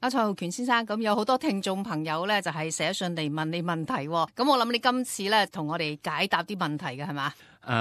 阿蔡浩權先生，咁有好多聽眾朋友咧，就係寫信嚟問你問題，咁我諗你今次咧同我哋解答啲問題嘅係嘛？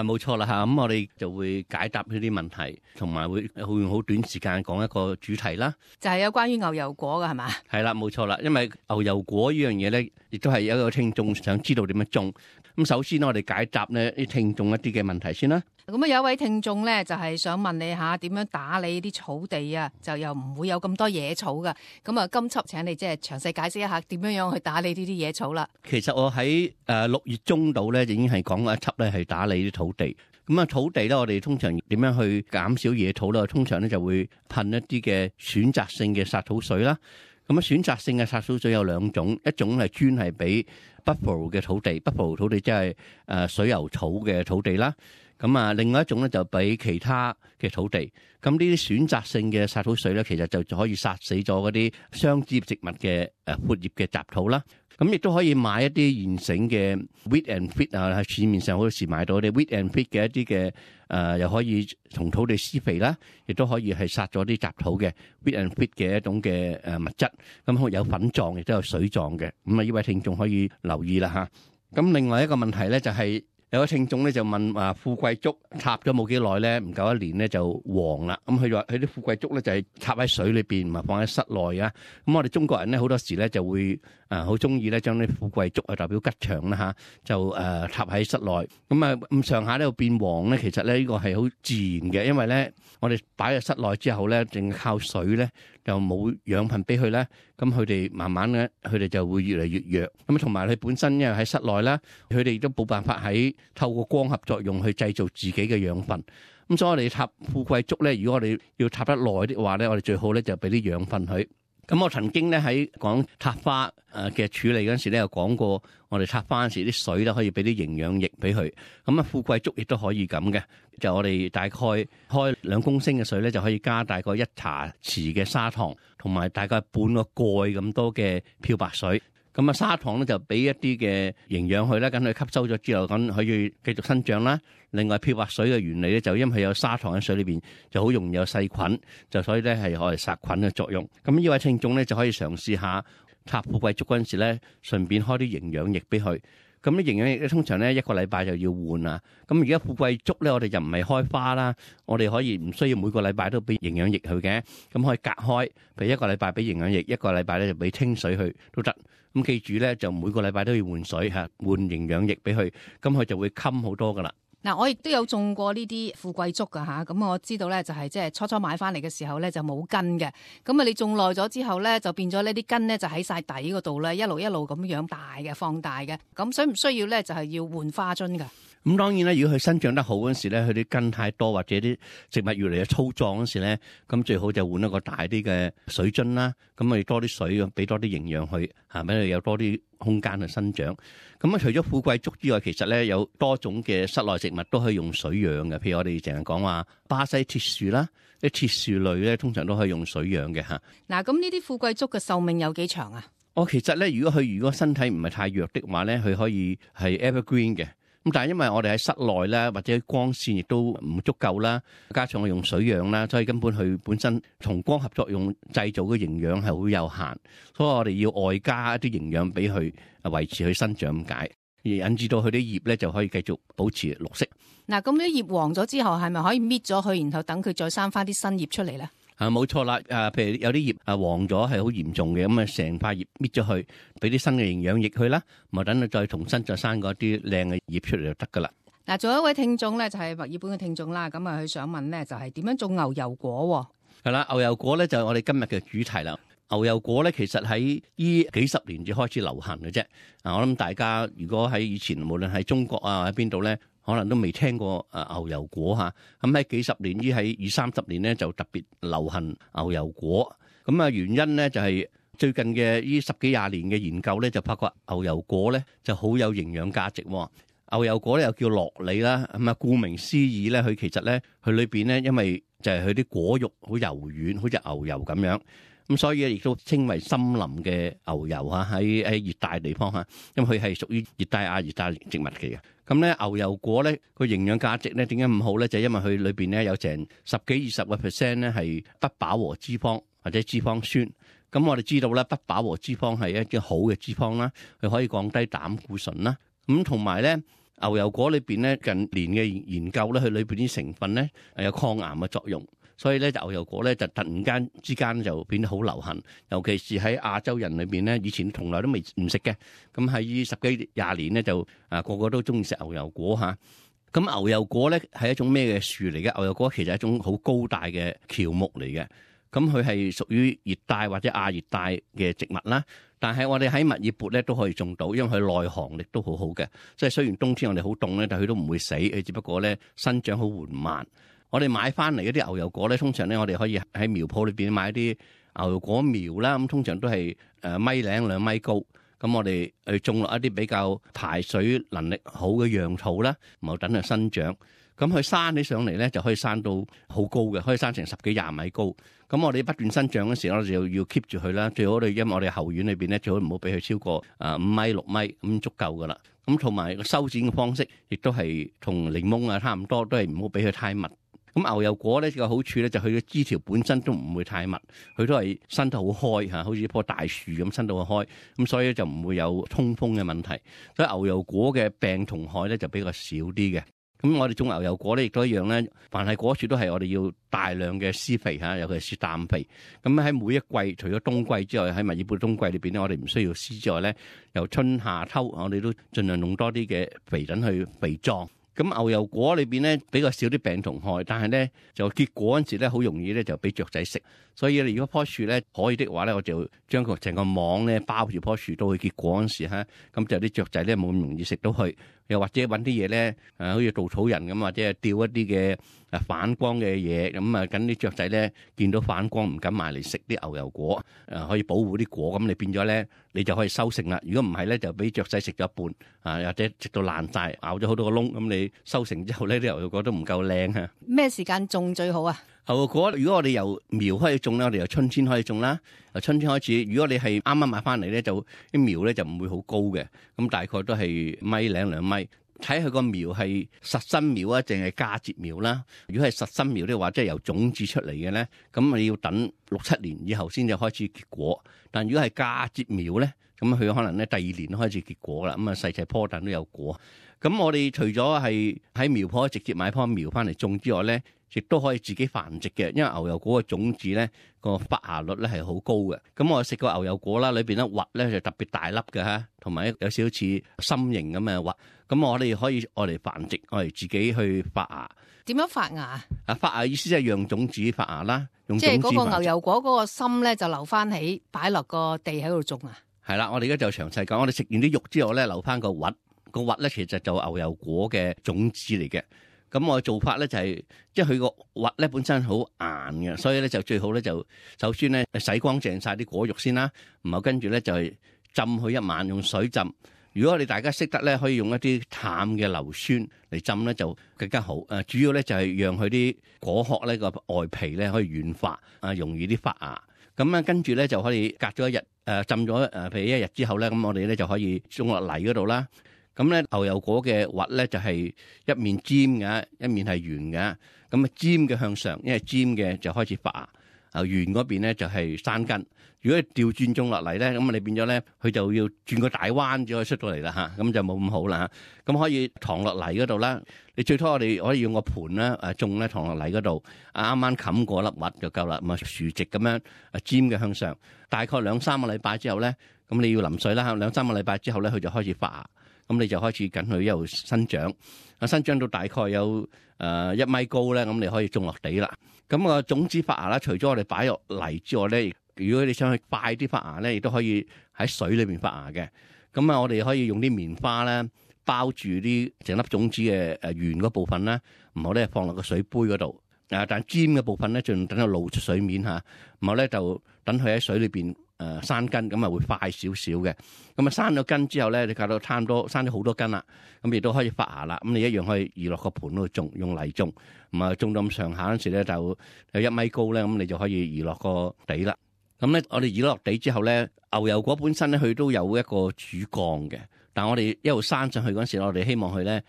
冇錯啦嚇，咁我哋就會解答呢啲問題，同埋會用好短時間講一個主題啦。就係有關於牛油果嘅係嘛？係啦，冇錯啦，因為牛油果呢樣嘢咧，亦都係有一個聽眾想知道點樣種。咁首先我哋解答呢啲聽眾一啲嘅問題先啦。咁啊有一位聽眾咧就係想問你下點樣打理啲草地啊，就又唔會有咁多野草噶。咁啊今輯請你即係詳細解釋一下點樣去打理呢啲野草啦。其實我喺6月中度咧已經係講過一輯咧係打理啲土地。咁啊土地咧我哋通常點樣去減少野草咧？通常咧就會噴一啲嘅選擇性嘅殺草水啦。咁啊選擇性嘅殺草水有兩種，一種係專係俾 buffalo 嘅土地 ，buffalo 土地即係水牛草嘅土地啦。咁啊，另外一種咧就俾其他嘅土地。咁呢啲選擇性嘅殺草水咧，其實就可以殺死咗嗰啲雙枝葉植物嘅闊葉嘅雜草啦。咁亦都可以買一啲現成嘅 weed and feed 啊，喺市面上好多時買到啲 weed and feed 嘅一啲嘅又可以同土地施肥啦，亦都可以係殺咗啲雜草嘅 weed and feed 嘅一種嘅物質。咁有粉狀，亦都有水狀嘅。咁啊，呢位聽眾可以留意啦嚇。咁另外一個問題咧就係，有個聽眾咧就問話富貴竹插咗冇幾耐咧，唔夠1年咧就黃啦。咁佢話佢啲富貴竹咧就係插喺水裏邊，唔係放喺室內啊。咁我哋中國人咧好多時咧就會好中意咧將啲富貴竹啊代表吉祥啦嚇，就插喺室內。咁啊咁上下咧變黃咧，其實咧呢個係好自然嘅，因為咧我哋擺喺室內之後咧，淨係靠水咧就冇養分俾佢咧，咁佢哋慢慢咧佢哋就會越嚟越弱。咁同埋佢本身因為喺室內啦，佢哋都冇辦法喺透過光合作用去製造自己嘅養分。咁所以我哋插富貴竹咧，如果我哋要插得耐啲話咧，我哋最好咧就俾啲養分佢。咁我曾經咧喺講插花嘅處理嗰陣時咧，有講過我哋插花嗰時啲水咧可以俾啲營養液俾佢。咁啊富貴竹亦都可以咁嘅，就我哋大概開2公升嘅水咧，就可以加大概1茶匙嘅砂糖，同埋大概半個蓋咁多嘅漂白水。咁啊砂糖咧就俾一啲嘅營養佢啦，咁佢吸收咗之後，咁可以繼續生長啦。另外漂白水嘅原理咧，就因為有砂糖喺水裏邊，就好容易有細菌，就所以咧係可以殺菌嘅作用。咁呢位聽眾咧就可以嘗試下插富貴竹嗰陣時咧，順便開啲營養液俾佢。咁啲營養液咧通常咧1個禮拜就要換啊。咁而家富貴竹咧，我哋就唔係開花啦，我哋可以唔需要每個禮拜都俾營養液佢嘅，咁可以隔開，譬如1個禮拜俾營養液，1個禮拜咧就俾清水去都得。咁記住咧，就每個禮拜都要換水嚇，換營養液俾佢，咁佢就會襟好多噶啦。嗱，我亦都有種過呢啲富貴竹噶嚇，咁我知道咧就係即係初初買翻嚟嘅時候咧就冇根嘅，咁啊你種耐咗之後咧就變咗呢啲根咧就喺晒底嗰度咧，一路咁樣大嘅放大嘅，咁需唔需要咧就係要換花樽噶？咁當然啦，如果佢生長得好嗰時咧，佢啲根太多或者啲植物越嚟越粗壯嗰時咧，咁最好就換一個大啲嘅水樽啦。咁咪多啲水，俾多啲營養佢，係咪有多啲空間去生長？咁啊，除咗富貴竹之外，其實咧有多種嘅室內植物都可以用水養嘅。譬如我哋成日講話巴西鐵樹啦，啲鐵樹類咧通常都可以用水養嘅嚇。嗱，咁呢啲富貴竹嘅壽命有幾長啊？其實咧，如果身體唔係太弱的話咧，佢可以係 evergreen 嘅。咁但係因為我哋喺室內咧，或者光線亦都唔足夠啦，加上我用水養啦，所以根本佢本身同光合作用製造嘅營養係好有限，所以我哋要外加一啲營養俾佢維持佢生長咁解，而引致到佢啲葉咧就可以繼續保持綠色。嗱，咁啲葉黃咗之後，係咪可以搣咗佢，然後等佢再生翻啲新葉出嚟咧？冇錯啦，譬如有啲葉黃咗係好嚴重嘅，咁啊成塊葉搣咗去，俾啲新嘅營養液去啦，咪等佢再重新再生嗰啲靚嘅葉出嚟就得噶啦。嗱，仲有一位聽眾咧，就係墨爾本嘅聽眾啦，咁啊佢想問咧，就係點樣種牛油果？係啦，牛油果咧就係我哋今日嘅主題啦。牛油果咧其實喺呢幾十年至開始流行嘅啫。我諗大家如果喺以前無論喺中國啊喺邊度咧，可能都未聽過牛油果嚇。咁喺幾十年喺20-30年咧就特別流行牛油果。咁啊原因咧就係最近嘅呢10幾20年嘅研究咧就發覺牛油果咧就好有營養價值。牛油果咧又叫樂梨啦，咁啊顧名思義咧，佢其實咧佢裏邊咧因為就係佢啲果肉好柔軟，好似牛油咁樣。咁所以亦都稱為森林嘅牛油嚇，喺熱帶地方嚇，因為佢係屬於熱帶亞熱帶植物嚟嘅。咁咧牛油果咧個營養價值咧點解咁好咧？就係因為佢裏邊咧有成10-20%咧係不飽和脂肪或者脂肪酸。咁我哋知道咧，不飽和脂肪係一啲好嘅脂肪啦，佢可以降低膽固醇啦。咁同埋咧，牛油果裏邊咧近年嘅研究咧，佢裏邊啲成分咧有抗癌嘅作用，所以咧牛油果咧就突然間之間就變得好流行，尤其是喺亞洲人裏邊咧，以前從來都未唔食嘅，咁喺10幾20年咧就個個都中意食牛油果嚇。咁牛油果咧係一種咩嘅樹嚟嘅？牛油果其實係一種好高大嘅喬木嚟嘅。咁佢係屬於熱帶或者亞熱帶嘅植物啦，但係我哋喺墨爾本咧都可以種到，因為佢耐寒力都好好嘅。即係雖然冬天我哋好凍咧，但係佢都唔會死，佢只不過咧生長好緩慢。我哋買翻嚟嗰啲牛油果咧，通常咧我哋可以喺苗鋪裏邊買啲牛油果苗啦，咁通常都係1.0米2米高。咁我哋去種落一啲比較排水能力好嘅樣土啦，然後等佢生長。咁佢生起上嚟咧，就可以生到好高嘅，可以生成10幾20米高。咁我哋不斷生長嗰時候，我哋就要 keep 住佢啦。最好因為我哋後院裏邊咧，最好唔好俾佢超過5米6米咁足夠噶啦。咁同埋個修剪嘅方式，亦都係同檸檬差唔多，都係唔好俾佢太密。咁牛油果咧個好處咧，就佢嘅枝條本身都唔會太密，佢都係伸得好開嚇，好似一棵大樹咁伸到好開。咁所以就唔會有通風嘅問題。所以牛油果嘅病蟲害咧就比較少啲嘅。咁我哋種牛油果咧，亦都一樣咧。凡係果樹都係我哋要大量嘅施肥嚇，尤其是氮肥。咁喺每一季，除咗冬季之外，喺墨爾本冬季裏邊咧，我哋唔需要施之外咧，由春夏秋，我哋都盡量用多啲嘅肥等去肥壯。咁牛油果裏邊咧比較少啲病蟲害，但係咧就結果嗰陣時咧好容易咧就俾雀仔食。所以如果棵樹咧可以的話咧，我就將佢成個網咧包住棵樹，到去結果嗰陣時嚇，咁就啲雀仔咧冇咁容易食到佢。又或者揾啲嘢咧，好似稻草人咁，或者係吊一啲嘅反光嘅嘢，咁啊，等啲雀仔咧見到反光唔敢埋嚟食啲牛油果，可以保護啲果，咁你變咗咧，你就可以收成啦。如果唔係咧，就俾雀仔食咗一半，或者食到爛晒，咬咗好多個窿，咁你收成之後咧，啲牛油果都唔夠靚嚇。咩時間種最好啊？牛油果如果我哋由苗開始種咧，我哋由春天開始種啦。由春天開始，如果你係啱啱買翻嚟咧，就啲苗咧就唔會好高嘅，咁大概都係1.0米2米。睇佢個苗係實心苗啊，定係嫁接苗啦。如果係實心苗咧，或者係由種子出嚟嘅咧，咁你要等6-7年以後先至開始結果。但如果係嫁接苗咧，咁佢可能咧第2年開始結果啦。咁啊細細棵但都有果。咁我哋除咗係喺苗鋪直接買棵苗翻嚟種之外咧，亦都可以自己繁殖嘅，因為牛油果嘅種子咧個發芽率咧係好高嘅。咁我食過牛油果啦，裏邊咧核咧就特別大粒嘅嚇，同埋有少少似心形咁嘅核。咁我哋可以我嚟繁殖，我嚟自己去發芽。點樣發芽？發芽意思即係讓種子發芽啦，用即係嗰個牛油果嗰個心咧就留翻起，擺落個地喺度種啊。係啦，我哋而家就詳細講。我哋食完啲肉之後咧，留翻個核。個核咧其實就牛油果嘅種子嚟嘅。咁我嘅做法咧就係，即係佢個核咧本身好硬嘅，所以咧就最好咧就首先咧洗乾淨晒啲果肉先啦，然後跟住咧就係浸佢1晚，用水浸。如果你大家識得咧，可以用一啲淡嘅硫酸嚟浸咧就更加好。主要咧就係讓佢啲果殼咧個外皮咧可以軟化，容易啲發芽。咁啊跟住咧就可以隔咗1日，浸咗譬如1日之後咧，咁我哋咧就可以種落泥嗰度啦。咁咧牛油果嘅核咧就係一面尖嘅，一面係圓嘅。咁啊尖嘅向上，因為尖嘅就開始發芽，圓嗰邊咧就係生根。如果調轉種落嚟咧，咁你變咗咧，佢就要轉個大彎先可以出到嚟啦嚇，咁就冇咁好啦嚇。咁可以躺落泥嗰度啦。你最多我哋可以用個盤啦，種咧躺落泥嗰度，啱啱冚過粒核就夠啦。咁啊豎直咁樣尖嘅向上，大概2-3個禮拜之後咧，咁你要淋水啦。2-3個禮拜之後咧，佢就開始發芽。咁你就開始緊佢一路生長，生長到大概有1米高咧，咁你可以種落地啦。咁個種子發芽啦，除咗我哋擺落泥之外咧，如果你想去快啲發芽咧，亦都可以喺水裏邊發芽嘅。咁啊，我哋可以用啲棉花咧包住啲成粒種子嘅圓嗰部分啦，然後咧放落個水杯嗰度。但尖嘅部分咧，盡等佢露出水面嚇，然後咧就等佢喺水裏邊生根，咁啊會快少少嘅。咁啊生咗根之後咧，你搞到差唔多生咗好多根啦，咁亦都可以發芽啦。咁你一樣可以移落個盤度種，用泥種，咁啊種到咁上下嗰時咧就有1米高咧，咁你就可以移落個地啦。咁咧我哋移落地之後咧，牛油果本身咧佢都有一個主幹嘅，但係我哋一路生上去嗰時，我哋希望佢咧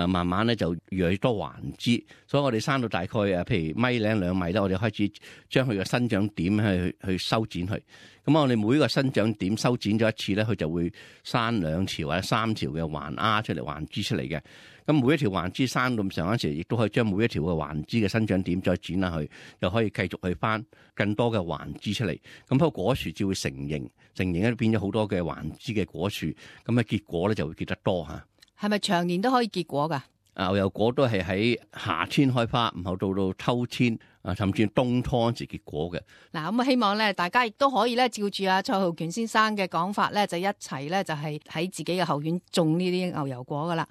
慢慢咧就越嚟越多環枝，所以我哋生到大概譬如米零2米咧，我哋開始將佢嘅生長點去修剪佢。咁我哋每一個生長點修剪咗一次咧，佢就會生2條或者3條嘅環丫出嚟，環枝出嚟嘅。咁每一條環枝生到咁上嗰時，亦都可以將每一條嘅環枝嘅生長點再剪下去，又可以繼續去翻更多嘅環枝出嚟。咁個果樹就會成形，成形咧變咗好多嘅環枝嘅果樹，咁結果咧就會結得多嚇。係咪長年都可以結果㗎？牛油果都係喺夏天開花，然後到秋天甚至冬初時結果嘅。嗱，咁希望咧，大家亦都可以咧，照住蔡浩權先生嘅講法咧，就一齊咧，就係喺自己嘅後院種呢啲牛油果噶啦。